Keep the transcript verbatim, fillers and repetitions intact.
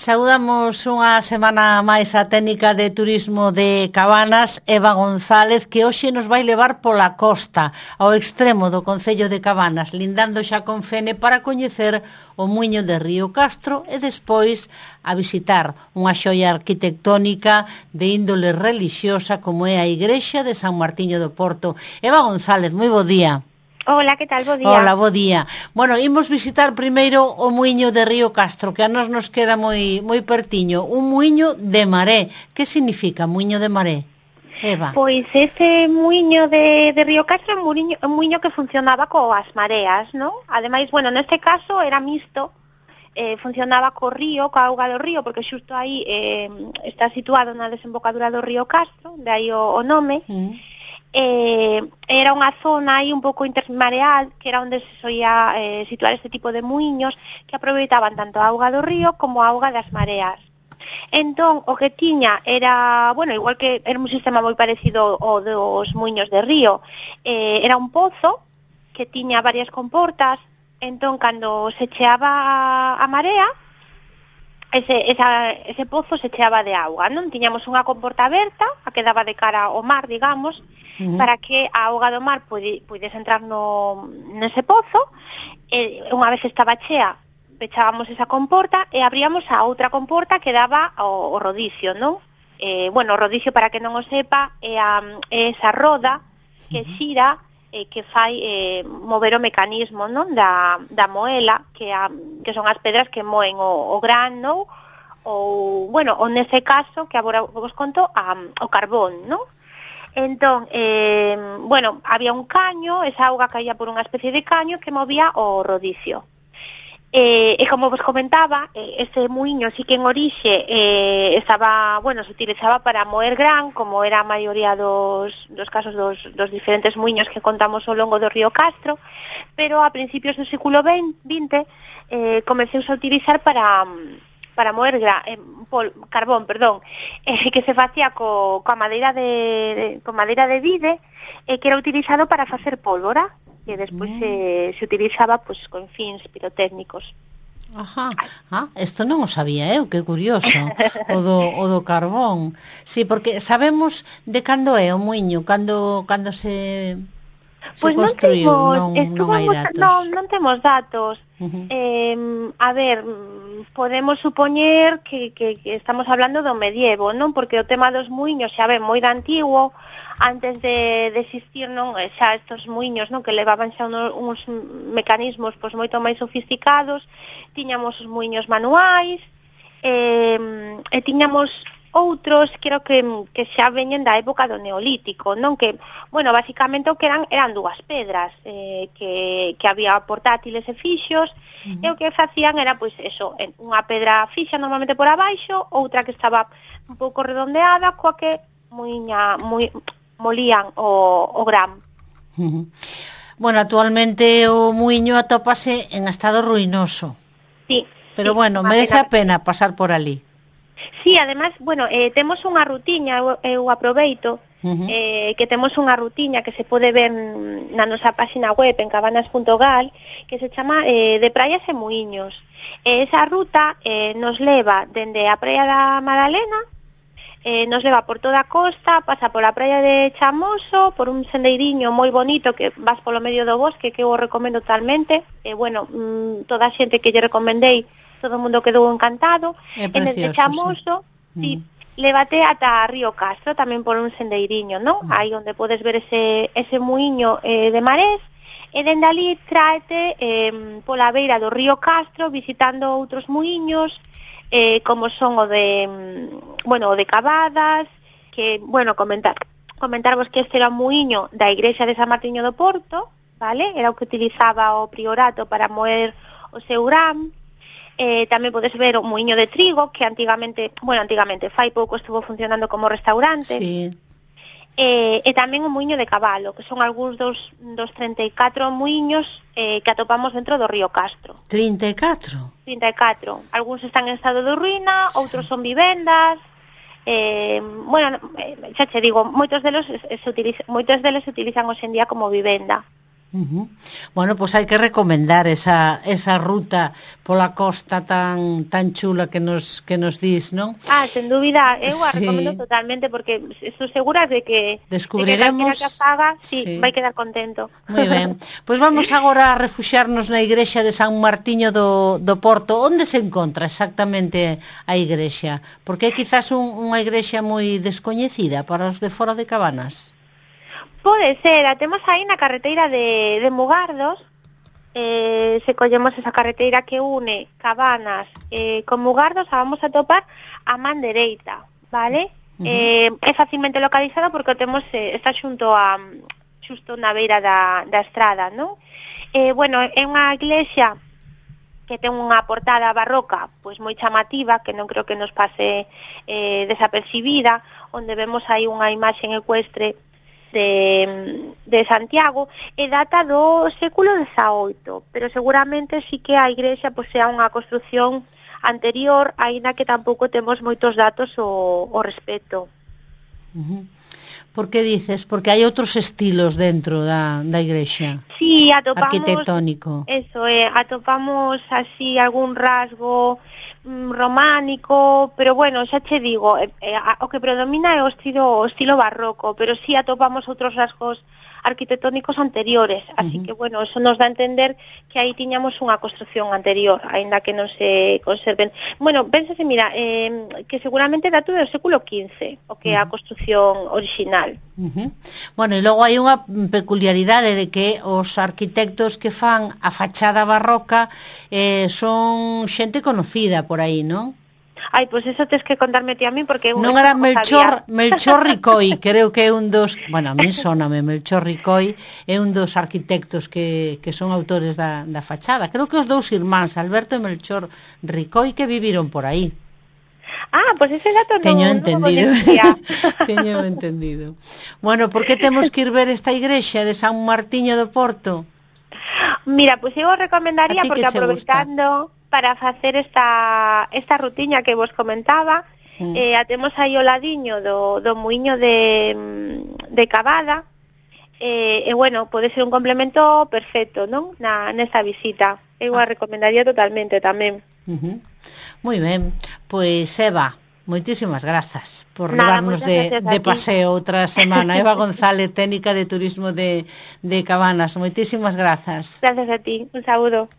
Saudamos unha semana máis a técnica de turismo de Cabanas, Eva González, que hoxe nos vai levar pola costa, ao extremo do concello de Cabanas, lindando xa con Fene para coñecer o muiño de Río Castro e despois a visitar unha xoia arquitectónica de índole relixiosa como é a igrexa de San Martiño do Porto. Eva González, moi bo día. Hola, que tal? Bo día. Hola, bo día. Bueno, imos visitar primeiro o muiño de Río Castro, que a nos nos queda moi moi pertiño. Un muiño de maré. Que significa muiño de maré, Eva? Pois ese muiño de, de Río Castro é un muiño, un muiño que funcionaba coas mareas, non? Ademais, bueno, neste caso era mixto, eh, funcionaba co río, coa auga do río, porque xusto aí eh, está situado na desembocadura do Río Castro, de aí o, o nome. Mm. Eh, era unha zona aí un pouco intermareal, que era onde se soía eh, situar este tipo de muiños que aproveitaban tanto a auga do río como a auga das mareas. Entón, o que tiña era, bueno, igual que era un sistema moi parecido ao dos muiños de río, eh, era un pozo que tiña varias comportas. Entón, cando se cheaba a marea, ese, esa, ese pozo se cheaba de auga, non? Tiñamos unha comporta aberta, a que daba de cara ao mar, digamos, uh-huh. para que a auga do mar pudese entrar no, nese pozo, e unha vez estaba chea, pechábamos esa comporta e abríamos a outra comporta que daba o, o rodicio, non? Eh, bueno, o rodicio, para que non o sepa, é, a, é esa roda que xira, eh, que fai eh, mover o mecanismo, non? Da, da moela, que, a, que son as pedras que moen o, o gran, non? Ou, bueno, ou nese caso, que agora vos conto, a, o carbón, non? Entón, eh, bueno, había un caño, esa auga caía por unha especie de caño que movía o rodicio. Eh, e como vos comentaba, eh, ese muiño sí que en orixe eh, estaba, bueno, se utilizaba para moer gran, como era a maioría dos, dos casos dos, dos diferentes muiños que contamos ao longo do Río Castro, pero a principios do século vinte eh, comezouse a utilizar para... para moer gra, eh, pol, carbón, perdón, eh, que se facía co, coa madeira de, de con madeira de vide, eh, que era utilizado para facer pólvora, que despois mm. se, se utilizaba pues, con fins pirotécnicos. Ajá, ah, isto non o sabía eu, que curioso, o do, o do carbón. Sí, porque sabemos de cando é o muiño, cando, cando se, se pues construiu, non, non, non hai datos. Non, non temos datos. Uh-huh. Eh, a ver, podemos supoñer que, que, que estamos hablando do medievo, non? Porque o tema dos muiños xa ven moi de antigo, antes de, de existir, non, xa estos muiños, non, que levaban xa unos, uns mecanismos pois moito máis sofisticados. Tiñamos os muiños manuais, eh, e tiñamos outros, creo que, que xa veñen da época do Neolítico, non? Que, bueno, basicamente o que eran eran dúas pedras, eh, que, que había portátiles e fixos, uh-huh. e o que facían era, pois, eso, unha pedra fixa normalmente por abaixo, outra que estaba un pouco redondeada, coa que muiña, moi, molían o, o gran. Uh-huh. Bueno, actualmente o muiño atópase en estado ruinoso. Sí. Pero sí, bueno, merece a pena pasar por ali. Sí, además, bueno, eh, temos unha rutiña, eu, eu aproveito, uh-huh. eh, que temos unha rutiña que se pode ver na nosa página web en cabanas punto gal, que se chama eh, de praias e muiños. E esa ruta eh, nos leva dende a praia da Madalena, eh, nos leva por toda a costa, pasa pola praia de Chamoso, por un sendeiriño moi bonito que vas polo medio do bosque, que eu o recomendo totalmente. E, eh, bueno, mmm, toda a xente que lle recomendei, todo o mundo quedou encantado. É precioso, en el Chamoso, sí, mm. lévate ata Río Castro, tamén por un sendeiriño, non? Mm. Aí onde podes ver ese, ese muiño eh, de marés, e dende ali tráete eh, pola beira do Río Castro, visitando outros muiños, eh, como son o de, bueno, o de Cavadas, que, bueno, comentar, comentarvos que este era un muiño da igrexa de San Martiño do Porto, vale? Era o que utilizaba o priorato para moer o seu gran. Eh, tamén podes ver o muiño de trigo, que antigamente, bueno, antigamente, fai pouco estuvo funcionando como restaurante. Sí. Eh, e tamén o muiño de cabalo, que son algúns dos, dos treinta e catro muiños eh, que atopamos dentro do Río Castro. trinta e catro? trinta e catro. Algúns están en estado de ruína, sí. Outros son vivendas. Eh, bueno, xa che digo, moitos deles se utilizan, moitos deles se utilizan hoxe en día como vivenda. Uh-huh. Bueno, pois pues hai que recomendar esa, esa ruta pola costa tan tan chula que nos que nos dis, non? Ah, sen dúbida, eu a Sí. recomendo totalmente porque estou segura de que Descubriremos, de que calquera que faga, sí, sí, vai quedar contento. Moi ben. Pois vamos agora a refuxiarnos na igrexa de San Martiño do, do Porto. Onde se encontra exactamente a igrexa? Porque é quizás un, unha igrexa moi descoñecida para os de fora de Cabanas. Pode ser, a temos aí na carreteira de, de Mugardos, eh, se collemos esa carreteira que une Cabanas eh, con Mugardos, a vamos a topar a man dereita, vale? Uh-huh. eh, é facilmente localizado porque o temos, eh, está xunto a xusto na beira da, da estrada, non? Eh, bueno, é unha iglesia que ten unha portada barroca pois moi chamativa, que non creo que nos pase eh, desapercibida, onde vemos aí unha imaxe ecuestre de, de Santiago, e data do século dezaoito, pero seguramente sí que a igrexa pois sea unha construción anterior, aínda que tampouco temos moitos datos ao, ao respecto. Uh-huh. Por que dices? Porque hai outros estilos dentro da, da igrexa. Sí, atopamos arquitectónico. Eso, eh, atopamos así algún rasgo mm, románico, pero bueno, xa che digo, eh, eh, o que predomina é o estilo, o estilo barroco, pero sí atopamos outros rasgos arquitectónicos anteriores, así uh-huh. que bueno, eso nos dá a entender que aí tiñamos unha construción anterior, aínda que non se conserven. Bueno, pénsase, mira, eh, que seguramente dato do século quince, o que é uh-huh. a construción original. Uh-huh. Bueno, e logo hai unha peculiaridade de que os arquitectos que fan a fachada barroca eh, son xente conocida por aí, non? Ai, pois eso tes que contarme ti a mí porque eu non era Melchor, Melchor Ricoi, creo que é un dos, bueno, a mí sóname Melchor Ricoi, é un dos arquitectos que, que son autores da, da fachada. Creo que os dous irmáns, Alberto e Melchor Ricoi, que viviron por aí. Ah, pois pues ese dato non, Teño non entendido. Teño entendido. Bueno, por que temos que ir ver esta igrexa de San Martiño do Porto? Mira, pois pues eu recomendaría porque aproveitando para facer esta esta rutiña que vos comentaba, mm. eh, atemos aí o ladiño do, do muiño de, de Cavada, e, eh, bueno, pode ser un complemento perfecto, non? Na, nesta visita. Eu a recomendaría totalmente tamén. Uh-huh. Moi ben, pois Eva, moitísimas grazas por Nada, levarnos de, de paseo outra semana. Eva González, técnica de turismo de, de Cabanas, moitísimas grazas. Gracias a ti, un saúdo.